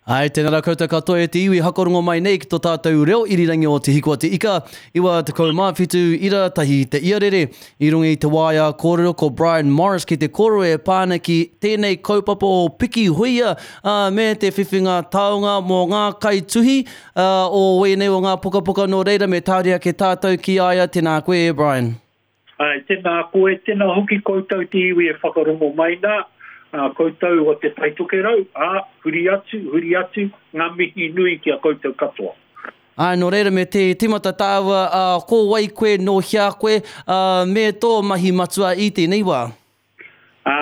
Āe, tēnā rā koutou katoa e te iwi hakarongo mai nei ki tō tātou reo irirangi o Te Hiko a Te Ika, 97 ira tahi te iarere. I runga i te waea kōrero ko Brian Morris ki te kōrero e pā ana ki tēnei kaupapa o Piki Huia, ā, me te whiwhinga taonga mō ngā kaituhi, ā, o ēnei o ngā pukapuka nō reira me tāria ake tātou ki a ia, tēnā koe e Brian. Āe, tēnā koe, tēnā hoki koutou te iwi e whakarongo mai nā, ā, koutou o Te Tai Tokerau, ā, huri atu, huri atu, ngā mihi nui ki a koutou katoa. Āe, nō reira me te tīmata tāua, ā, ko wai koe, nō hea koe, ā, me tō mahi matua i tēnei wā? Ā,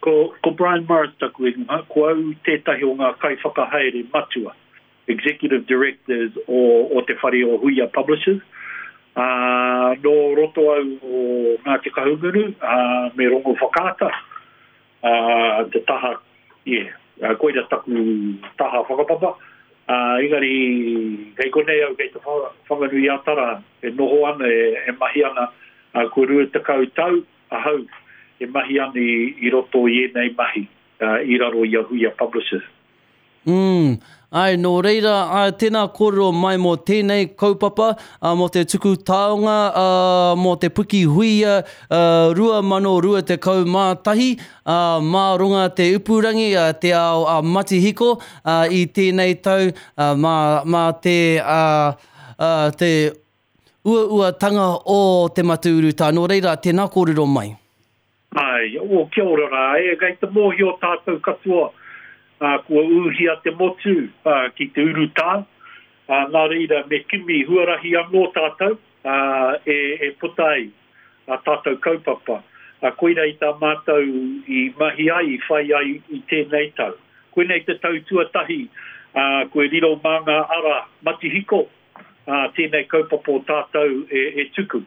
ko, ko Brian Morris taku ingoa, ko au tētahi o ngā kaiwhakahaere matua Executive Directors o, o Te Whare o Huia Publishers. Ā, nō roto au o Ngāti Kahungunu, ā, me Rongowhakaata, ā, te taha, yeah, koira taku taha whakapapa. Ā, engari, kei konei au kei Te Whanganui-a-Tara e noho ana, e, e mahi ana, ā, kua 20 tau ahau e mahi ana i, i roto i ēnei mahi, ā, i raro i a Huia Publishers. Umm, āe, nō reira, āe, tēnā kōrero mai mō tēnei kaupapa, ā, mō te tuku taonga, ā, mō te Puki Huia, ā, 2021, ā, mā runga te upurangi, ā, te ao, ā, matihiko, ā, i tēnei tau, ā, mā, mā te, ā, ā, te uauatanga o te mate urutā. Nō reira, tēnā kōrero mai. Āe, oh, kia ora rā, e, kei te mōhio tātou katoa, ā, kua ūhia te motu, ā, ki te urutā, ā, nā reira me kimi huarahi anō tātou, ā, e, e puta ai ā tātou kaupapa. Ā, koira i tā mātou i mahi ai, i whai ai i tēnei tau. Koinei te tau tuatahi, ā, kua riro mā ngā ara matihiko, ā, tēnei kaupapa o tātou e, e tuku.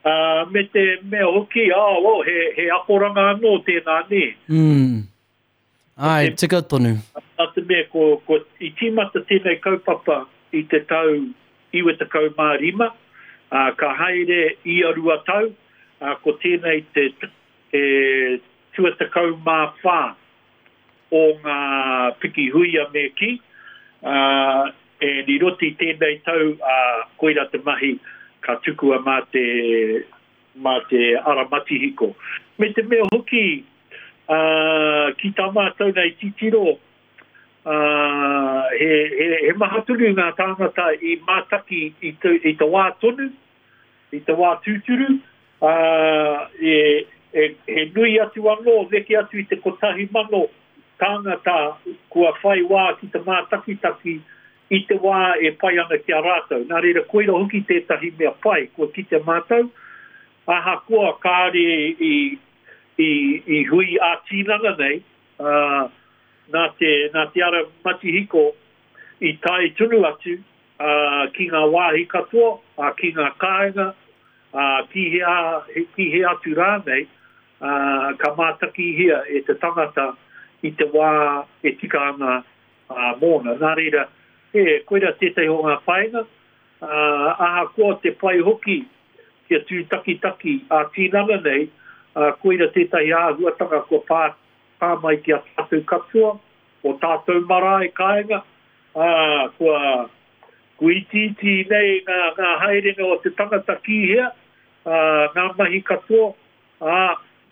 Ā, me te mea hoki, ā, oh, he, he akoranga anō tēnā, nē. Mm. Āe, tika tonu. Nā te mea, ko, ko, i tīmata tēnei kaupapa i te tau 95, ā, ka haere ia rua tau, ā, ko tēnei te, te tuatekau mā whā o ngā piki huia me kī, ā, and i roto i tēnei tau, ā, koirā te mahi ka tukua mā te, mā te ara matihiko. Me te mea hoki, ā, ki tā mātou nei titiro, ā, he, he, he maha tonu ngā tāngata i mātaki i te, i te wā tonu, I te wā tūturu, ā, e, e, he nui atu anō, neke atu i te 1,000 tāngata kua whai wā ki te mātakitaki i te wā e pai ana ki a rātou. Nā reira, koira hoki tētahi mea pai kua kite mātou, ahakoa kāore i, i, i hui ā-tinana nei, ā, nā te, nā te ara matihiko i tae tonu atu, ā, ki ngā wāhi katoa, ā, ki ngā kāinga, ā, ki hea, ki hea atu rānei, ā, ka mātakihia e te tangata i te wā e tika ana, ā, mōna. Nā reira, e, koirā tētahi o ngā painga, ā, ahakoa te pai hoki kia tūtakitaki ā-tinana nei, ā, koira tētahi āhuatanga kua pā, pā mai ki a tātou katoa, o tātou marae kāinga, Ā, kua, kua itiiti nei ngā, ngā haerenga o te tangata ki hea, ā, ngā mahi katoa, ā,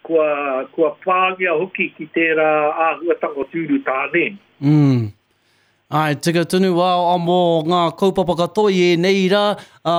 kua, kua pāngia hoki ki tērā āhuatanga o te urutā, nē. Mm. Āe, tika tonu, ā, mō ngā kaupapa katoa i ēnei rā, ā,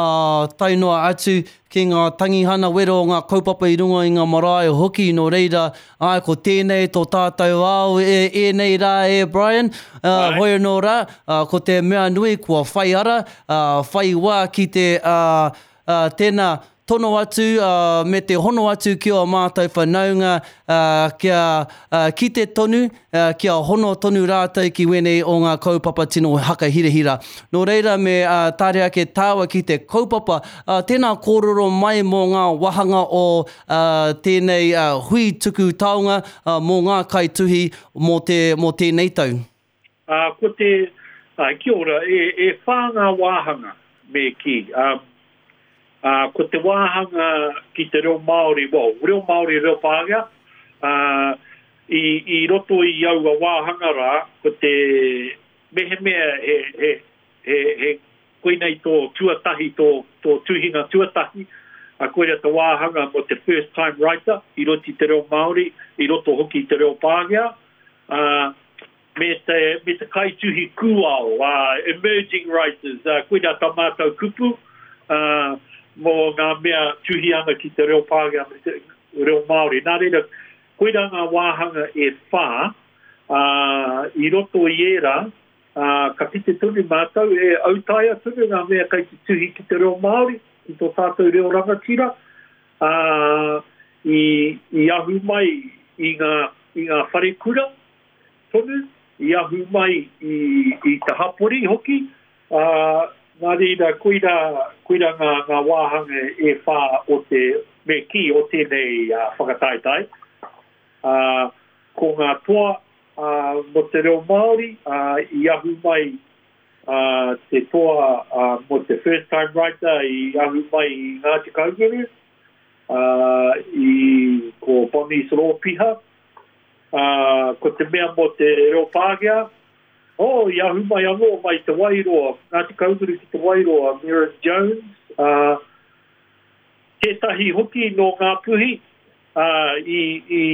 tae noa atu ki ngā tangihana wero o ngā kaupapa i runga i ngā marae hoki, nō reira, āe, ko tēnei tō tātou ao e ēnei rā e Brian, ā, hoi anō rā, ā, ko te mea nui kua whai ara, ā, whai wā ki te, ā, ā, tēnā, tono atu, ā, me te hono atu ki ō mātou whanaunga, ā, kia, ā, kite tonu, ā, kia hono tonu rātou ki wēnei o ngā kaupapa tino hakahirahira. Nō reira me, ā, tare ake tāua ki te kaupapa, ā, tēnā kōrero mai mō ngā wāhanga o, ā, tēnei, ā, hui tuku taonga, ā, mō ngā kaituhi mō te, mō tēnei tau. Ā, ko te, ā, kia ora, e, e whā ngā wāhanga, me kī, ā, ā, ko te wāhanga ki te reo Māori, well, reo Māori, reo Pākehā, ā, i, i roto i aua wāhanga rā, ko te mehemea he, he, he, he koinei tō tuatahi, tō, tō tuhinga tuatahi, ā, koira te wāhanga mō te first time writer i roto i te reo Māori, i roto hoki i te reo Pākehā, ā, me te, me te kaituhi kūao, ā, emerging writers, ā, koirā tā mātou kupu, ā, mō ngā mea tuhi ana ki te reo Pākehā me te reo Māori. Nā reira, koirā ngā wāhanga e whā, ā, i roto i ērā, Ā, ka kite tonu mātou, e autaia tonu ngā mea kei te tuhi ki te reo Māori, ki tō tātou reo rangatira, ā, i, i ahu mai i ngā, i ngā wharekura tonu, i ahu mai i, i te hapori hoki, ā, nā reira, koirā, koirā ngā, ngā wāhanga e whā o te, me kī, o tēnei whakataetae. Ā, ko ngā toa, ā, mō te reo Māori, ā, i ahu mai, ā, te toa, ā, mō te first time writer i ahu mai i Ngāti Kahungunu, ā, i, ko Bonnies Rōpiha, ā, ko te mea mō te reo Pākehā, oh, i ahu mai anō mai Te Wairoa, Ngāti Kahungunu ki Te Wairoa, Merrin Jones, ā, tētahi hoki nō Ngāpuhi, ā, i, i,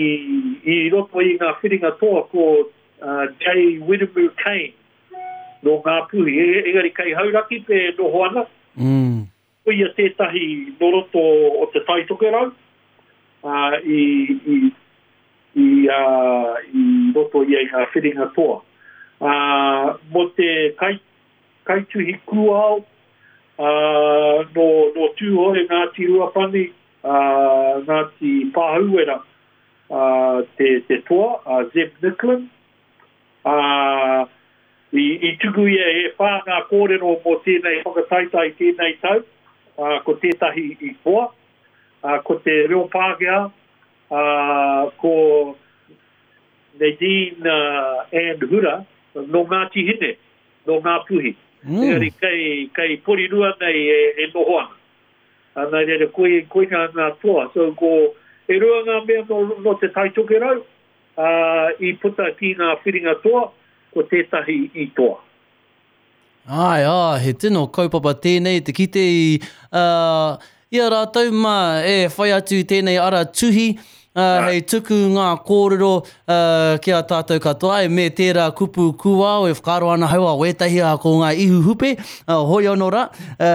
i roto i ngā whiringa toa ko Jay Wiremu Kane nō Ngāpuhi, engari kei Hauraki pea e noho ana. Mm. Ko ia tētahi nō roto o Te Tai Tokerau, ā, i, i, i, ā, i roto ia i ngā whiringa toa. Ā, mō te kai, kaituhi kūao, ā, nō, nō Tūhoe, Ngāti Ruapani, ā, Ngāti Pāhauwera, ā, te, te toa, a Zeb Nicklin, ā, i, i tuku ia e whā ngā kōrero mō tēnei whakataetae i tēnei tau, ā, ko tētahi i toa, ā, ko te reo Pākehā, ā, ko Nadine Ann Hura, nō Ngāti Hine, nō Ngāpuhi. Mm. Engari kei, kei Porirua nei e, e noho ana. Ā, nā reira, koi, koinā ngā toa. So, ko, e rua ngā mea nō, nō Te Tai Tokerau, ā, i puta ki ngā whiringa toa, ko tētahi i toa. Āe, ā, he tino kaupapa tēnei te kite i, ā, i a rātou mā e whai atu i tēnei ara tuhi, ā, hei tuku ngā kōrero, ā, ki a tātou katoa, e me tērā kupu kūao e whakaaro ana hau a wētahi ā, ko ngā ihu hupe, ā, hoi anō rā, ā,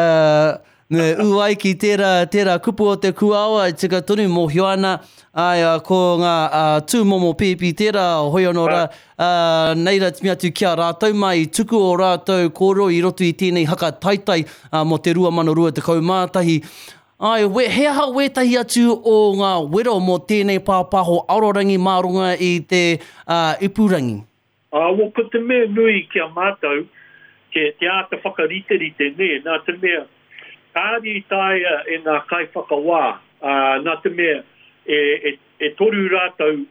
Me ū ai ki tērā, tērā kupu o te kūao, e tika tonu, mōhio ana, āe, ko ngā tūmomo pēpi tērā, hoi anō rā, ā, nei rā timi atu ki a rātou mā i tuku ō rātou kōrero i roto i tēnei haka taitai mō te 2021. Āe, we, he aha wētahi atu o ngā wero mō tēnei pāpāho arorangi mā runga i te ipurangi? Ā, well, ko te mea nui ki a mātou, te, te āta whakariterite, nē, nā te mea, kāre i taea e ngā kaiwhakawā, ā, nā te mea, e, e, e toru rātou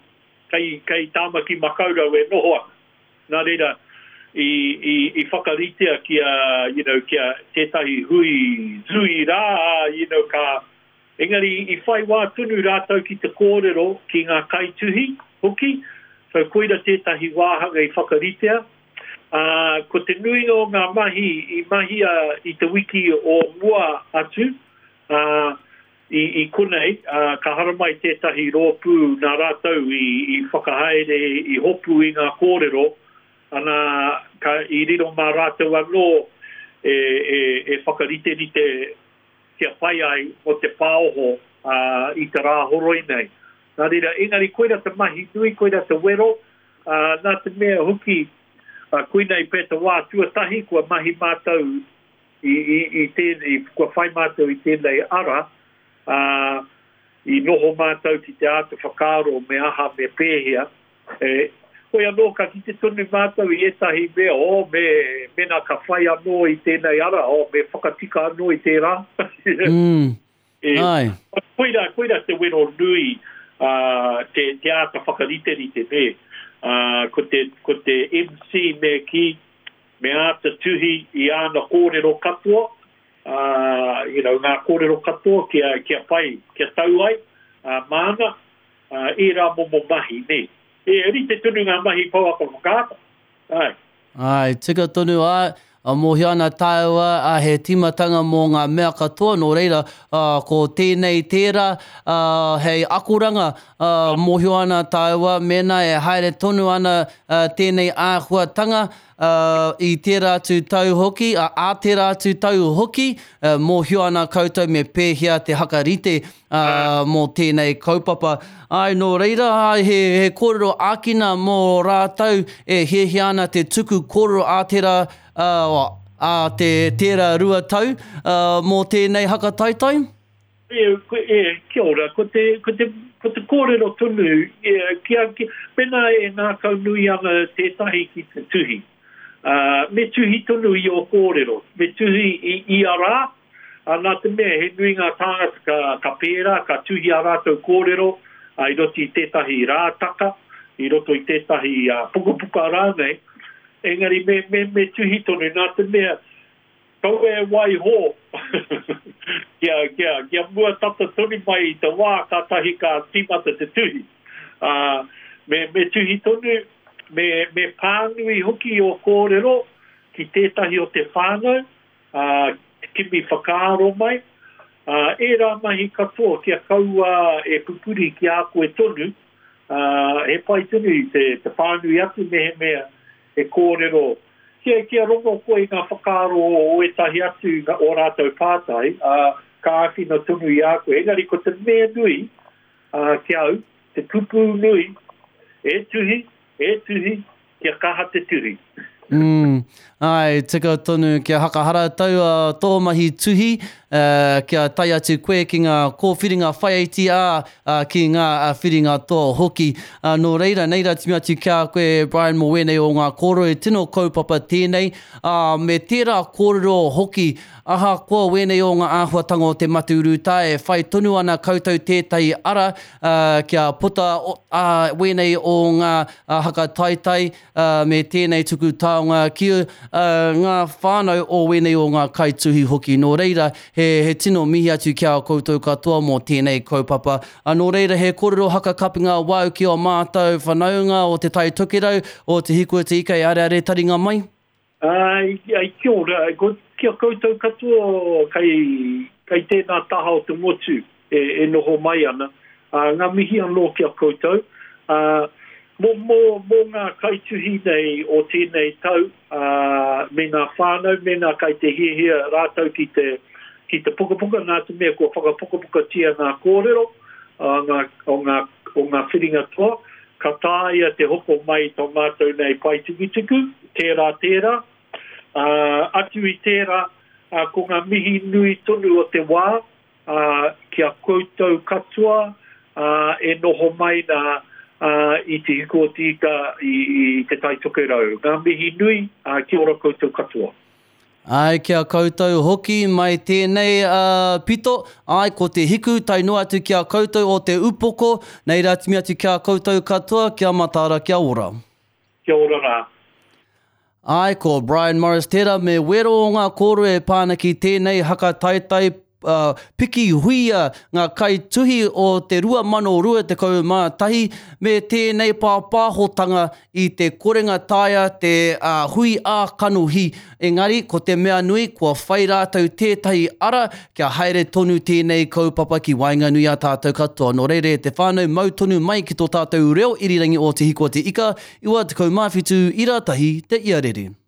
kei, kei Tāmaki Makaurau e noho ana. Nā reira, i, i, i whakaritea kia, you know, kia tētahi hui zui rā, you know, ka, Engari i whai wā tonu rātou ki te kōrero ki ngā kaituhi hoki, so koira tētahi wāhanga i whakaritea. Ā, ko te nuinga o ngā mahi i mahia i te wiki o mua atu, ā, i, i konei, ā, ka haramai tētahi rōpū nā rātou i, i whakahaere, i hopu i ngā kōrero, ana, ka, i riro mā rātou anō e, e, e whakariterite kia pai ai mō te pāoho i te Rāhoroi nei. Nā reira, engari koira te mahi nui, koira te wero, nā te mea hoki, koinei pea te wā tuatahi kua mahi mātou i, i, i tēnei, kua whai mātou i tēnei ara, ā, i noho mātou ki te āta whakaaro me aha, me pēhea, E, hoi anō ka kite tonu mātou i ētahi mea, oh, me, mēnā ka whai anō i tēnei ara, oh, me whakatika anō i tērā. Mm. E, Ai. Koirā, koirā te wero nui, uh, te, te āta whakariterite, nē. Uh, ko te, ko te MC me kī, me āta tuhi i āna kōrero katoa, uh, you know, ngā kōrero katoa kia, kia pai, kia tau ai, uh, māna, ērā momo mahi, nē. E rite tonu ngā mahi pouaka whakaata. Āe. Āe, tika tonu, āe. Mōhio ana tāua, ā, he tīmatanga mō ngā mea katoa, nō reira, ā, ko tēnei tērā, ā, hei akoranga, ā, mōhio ana tāua, mēnā e haere tonu ana, ā, tēnei āhuatanga, ā, i tērā atu tau hoki, ā, ā tērā atu tau hoki, ā, mōhio ana koutou me pēhea te hakarite, ā, mō tēnei kaupapa. Āe, nō reira, āe, he, he kōrero ākina mō rātou e hiahia ana te tuku kōrero ā tērā, ā, ā te, tērā 2 tau, ā, mō tēnei haka taetae? E, e, kia ora, ko te, ko te, ko te kōrero tonu, e, kia, kia, pēnā e ngākaunui ana tētahi ki te tuhi, ā, me tuhi tonu i ō kōrero, me tuhi i ia rā, Ā, nā te mea he nui ngā tāngata ka, ka pērā, ka tuhi ā rātou kōrero i roto i tētahi rātaka, i roto i tētahi pukapuka rānei, engari me, me, me tuhi tonu, nā te mea kaua e waiho kia, kia, kia mua tata tonu mai i te wā kātahi ka tīmata te tuhi. Ā, me, me tuhi tonu, me, me pānui hoki ō kōrero ki tētahi o te whānau, ā, kimi whakaaro mai, ā, ērā mahi katoa kia kaua e pupuri ki a koe tonu, ā, he pai tonu te, te pānui atu mehemea he kōrero, kia, kia rongo koe i ngā whakaaro o ētahi atu, ō rātou pātai, ā, ka āwhina tonu i a koe. Engari ko te mea nui, ā, ki a au, te kupu nui, e tuhi, e tuhi, kia kaha te tuhi. Mm, āe, tika tonu kia hakaharatau tō mahi tuhi, kia tae atu koe ki ngā kōwhiringa whaiaiti, ā, ki ngā whiringa toa hoki. Nō reira, nei rā timi atu ki a koe, Brian, mō wēnei o ngā kōrero, he tino kaupapa tēnei, ā, me tērā kōrero hoki, ahakoa wēnei o ngā āhuatanga o te mate urutā, e whai tonu ana koutou tētahi ara, kia puta wēnei o ngā haka taetae, ā, me tēnei tuku taonga ki ngā whānau o wēnei o ngā kaituhi hoki. Nō reira, he, he tino mihi atu ki a koutou katoa mō tēnei kaupapa. Ā, nō reira, he kōrero haka kapinga wāu ki ō mātou whanaunga o Te Tai Tokerau, o Te Hiku o Te Ika e areare taringa mai. Ā, kia ora, ki a koutou katoa kei, kei tēnā taha o te motu e, e noho mai ana, ā, ngā mihi anō ki a koutou. Ā, mō, mō, mō ngā kaituhi nei o tēnei tau, ā, me ngā whānau, mēnā kai te hiahia rātou ki te, ki te pukapuka, nā te mea kua whakapukapukatia ngā kōrero, ā, ngā, o ngā, o ngā whiringa toa, Ka taea te hoko mai i tō mātou nei pae tukutuku, tērā, tērā. Ā, atu i tērā, ā, ko ngā mihi nui tonu o te wā, ā, ki a koutou katoa, ā, e noho mai nā, ā, i Te Hiku o Te Ika i, i Te Tai Tokerau. Ngā mihi nui, ā, kia ora koutou katoa. Āe, ki a koutou hoki mai tēnei pito, āe, ko te hiku tae noa atu ki a koutou o te upoko, nei rā timi atu ki a koutou katoa, kia mataara, kia ora. Kia ora rā. Āe, ko Brian Morris tērā me wero o ngā kōrero e pā ana ki tēnei haka taetae piki huia ngā kaituhi o te 2021 me tēnei pāpāhotanga i te korenga taea te hui ā-kanohi, engari ko te mea nui kua whai rātou tētahi ara kia haere tonu tēnei kaupapa ki waenganui a tātou katoa. Nō reira e te whānau, mau tonu mai ki tō tātou reo irirangi o Te Hiko a Te Ika, 97 ira tahi te iarere.